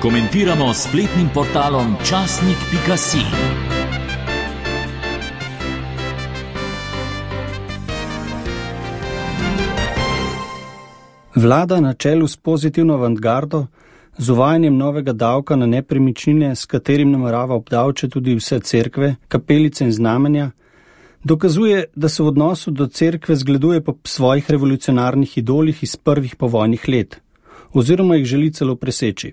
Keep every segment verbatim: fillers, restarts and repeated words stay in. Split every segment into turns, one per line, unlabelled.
Komentiramo s spletnim portalom časnik pika si.
Vlada na čelu s pozitivno avantgardo, z uvajanjem novega davka na nepremičnine, s katerim namerava obdavčiti tudi vse cerkve, kapelice in znamenja, dokazuje, da se v odnosu do cerkve zgleduje po svojih revolucionarnih idolih iz prvih povojnih let, oziroma jih želi celo preseči.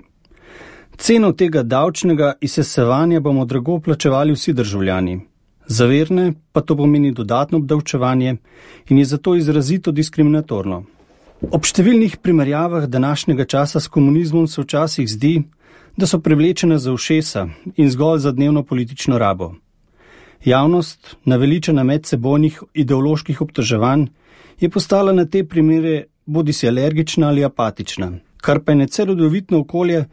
Ceno tega davčnega izsesevanja bomo drago plačevali vsi državljani. Za verne pa to pomeni dodatno obdavčevanje in je zato izrazito diskriminatorno. Ob številnih primerjavah današnjega časa s komunizmom se včasih zdi, da so privlečene za ušesa in zgolj za dnevno politično rabo. Javnost, naveličena medsebojnih ideoloških obtoževanj, je postala na te primere bodisi alergična ali apatična, kar pa je necelodovitno okolje,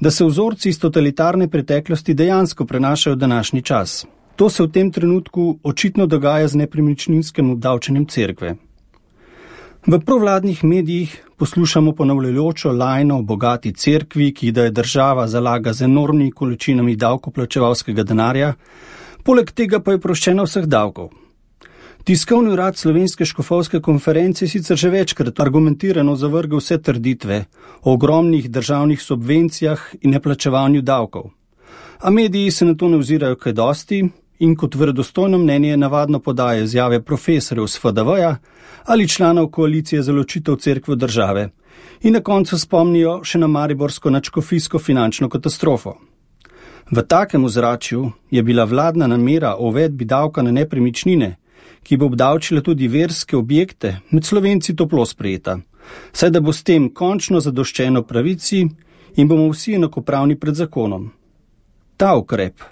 da se vzorci iz totalitarne preteklosti dejansko prenašajo v današnji čas. To se v tem trenutku očitno dogaja z nepremičninskim obdavčenjem cerkve. V provladnih medijih poslušamo ponavljajočo lajno o bogati cerkvi, ki da je država zalaga z enormnimi količinami davkoplačevalskega denarja, poleg tega pa je oproščena vseh davkov. Tiskovni urad Slovenske škofovske konference sicer že večkrat argumentirano zavrgal vse trditve o ogromnih državnih subvencijah in neplačevanju davkov. A mediji se na to ne ozirajo kaj dosti in kot verodostojno mnenje navadno podajo izjave profesorjev z F D V-ja ali članov koalicije za ločitev cerkve države in na koncu spomnijo še na mariborsko nadškofijsko finančno katastrofo. V takem ozračju je bila vladna namera o uvedbi davka na nepremičnine, ki bo obdavčila tudi verske objekte, med Slovenci toplo sprejeta, saj da bo s tem končno zadoščeno pravici in bomo vsi enakopravni pred zakonom. Ta ukrep,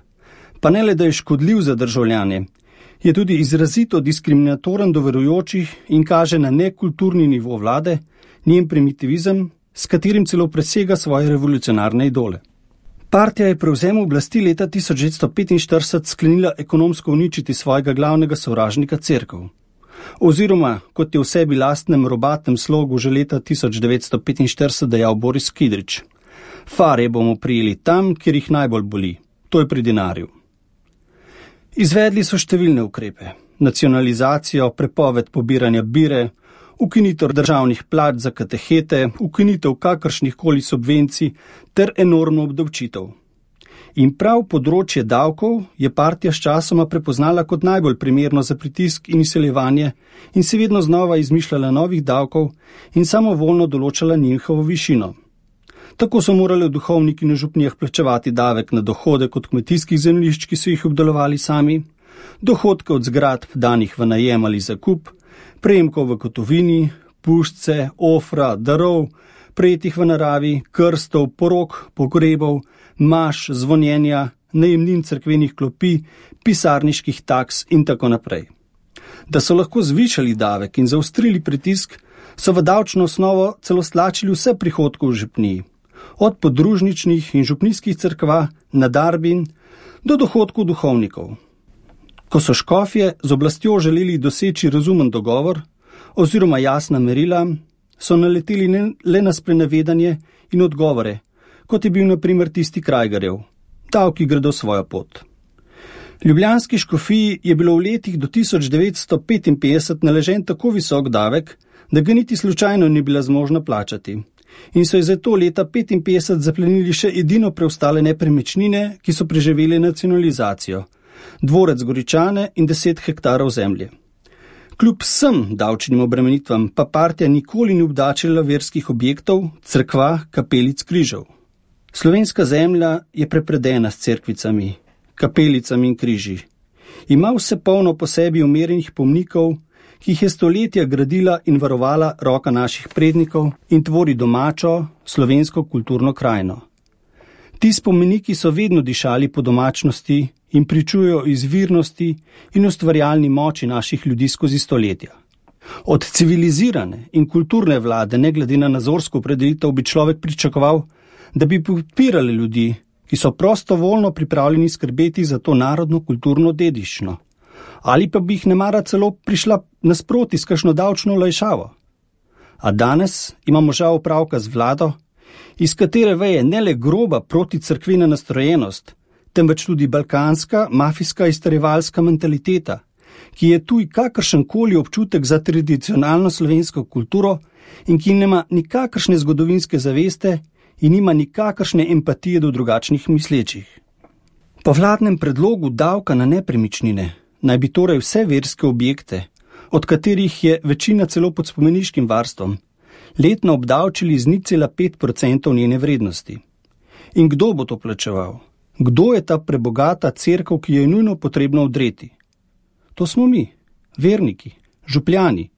pa ne le da je škodljiv za državljane, je tudi izrazito diskriminatoren do verujočih in kaže na nekulturni nivo vlade, njen primitivizem, s katerim celo presega svoje revolucionarne idole. Partija je prevzem oblasti leta tisoč devetsto petinštirideset sklenila ekonomsko uničiti svojega glavnega sovražnika cerkev. Oziroma, kot je v sebi lastnem robatem slogu že leta tisoč devetsto petinštirideset dejal Boris Kidrič. Fare bomo prijeli tam, kjer jih najbolj boli, to je pri denarju. Izvedli so številne ukrepe, nacionalizacijo, prepoved pobiranja bire, ukinitev državnih plač za katehete, ukinitev kakršnih koli subvencij ter enormno obdavčitev. In prav področje davkov je partija s časoma prepoznala kot najbolj primerno za pritisk in izsiljevanje in se vedno znova izmišljala novih davkov in samovoljno določala njihovo višino. Tako so morali duhovniki na župnijah plačevati davek na dohodek od kmetijskih zemljišč, ki so jih obdelovali sami, dohodke od zgradb danih v najem ali zakup, prejemkov v gotovini, puščce, ofra, darov, prejetih v naravi, krstov, porok, pogrebov, maš, zvonjenja, najemnin cerkvenih klopi, pisarniških taks in tako naprej. Da so lahko zvišali davek in zaostrili pritisk, so v davčno osnovo celo stlačili vse prihodke v župniji, od podružničnih in župnijskih cerkva na darbin do dohodkov duhovnikov. Ko so škofje z oblastjo želeli doseči razumen dogovor oziroma jasna merila, so naleteli le na sprenevedanje in odgovore, kot je bil na primer tisti Krajgarjev, davki gredo svojo pot. Ljubljanski škofiji je bilo v letih do tisoč devetsto petinpetdeset naležen tako visok davek, da ga niti slučajno ni bila zmožna plačati. In so je zato leta petinpetdeset zaplenili še edino preostale nepremičnine, ki so preživeli nacionalizacijo, dvorec Goričane in deset hektarov zemlje. Kljub vsem davčnim obremenitvam pa partija nikoli ni obdačila verskih objektov, cerkva, kapelic, križev. Slovenska zemlja je prepredena s cerkvicami, kapelicami in križi. Ima vse polno po sebi umerjenih pomnikov, ki jih je stoletja gradila in varovala roka naših prednikov in tvori domačo slovensko kulturno krajino. Ti spomeniki so vedno dišali po domačnosti in pričujejo izvirnosti in ustvarjalni moči naših ljudi skozi stoletja. Od civilizirane in kulturne vlade, ne glede na nazorsko opredelitev, bi človek pričakoval, da bi podpirali ljudi, ki so prostovoljno pripravljeni skrbeti za to narodno kulturno dediščino. Ali pa bi jih nemara celo prišla nasproti s kakšno davčno olajšavo. A danes imamo žal opravka z vlado, iz katere veje ne le groba proticrkvena nastrojenost, temveč tudi balkanska, mafijska izterjevalska mentaliteta, ki je tuj kakršenkoli občutek za tradicionalno slovensko kulturo in ki nima nikakršne zgodovinske zaveste in nima nikakršne empatije do drugačnih mislečih. Po vladnem predlogu davka na nepremičnine naj bi torej vse verske objekte, od katerih je večina celo pod spomeniškim varstvom, letno obdavčili z nič cela pet procentov njene vrednosti. In kdo bo to plačeval? Kdo je ta prebogata cerkev, ki jo je nujno potrebno odreti? To smo mi, verniki, župljani,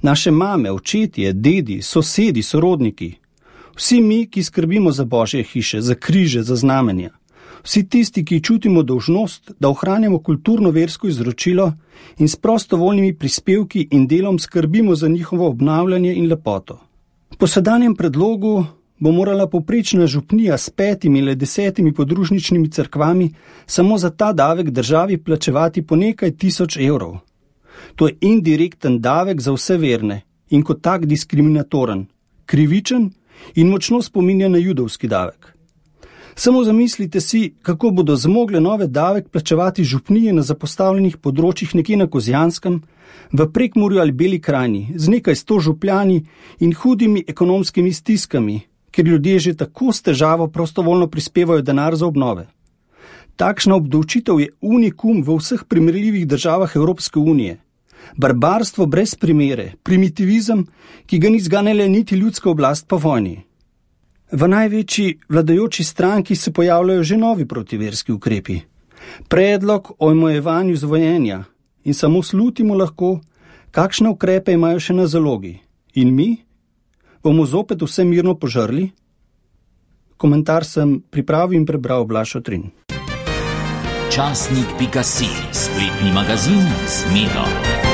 naše mame, očetje, dedi, sosedi, sorodniki. Vsi mi, ki skrbimo za Božje hiše, za križe, za znamenja. Vsi tisti, ki čutimo dolžnost, da ohranjamo kulturno-versko izročilo in s prostovoljnimi prispevki in delom skrbimo za njihovo obnavljanje in lepoto. Po sedanjem predlogu bo morala povprečna župnija s petimi ali desetimi podružničnimi cerkvami samo za ta davek državi plačevati po nekaj tisoč evrov. To je indirekten davek za vse verne in kot tak diskriminatoren, krivičen in močno spominja na judovski davek. Samo zamislite si, kako bodo zmogle nove davek plačevati župnije na zapostavljenih področjih nekje na Kozjanskem, v Prekmurju ali Beli krajini, z nekaj sto župljani in hudimi ekonomskimi stiskami, ker ljudje že tako s težavo prostovoljno prispevajo denar za obnove. Takšna obdavčitev je unikum v vseh primerljivih državah Evropske unije. Barbarstvo brez primere, primitivizem, ki ga ni zganjala niti ljudska oblast po vojni. V največji vladajoči stranki se pojavljajo že novi protiverski ukrepi. Predlog o omejevanju zvojenja in samo slutimo lahko, kakšne ukrepe imajo še na zalogi. In mi? Bomo zopet vse mirno požrli? Komentar sem pripravil in prebral Blaž Otrin.
Časnik pika si, spletni magazin Zmedo.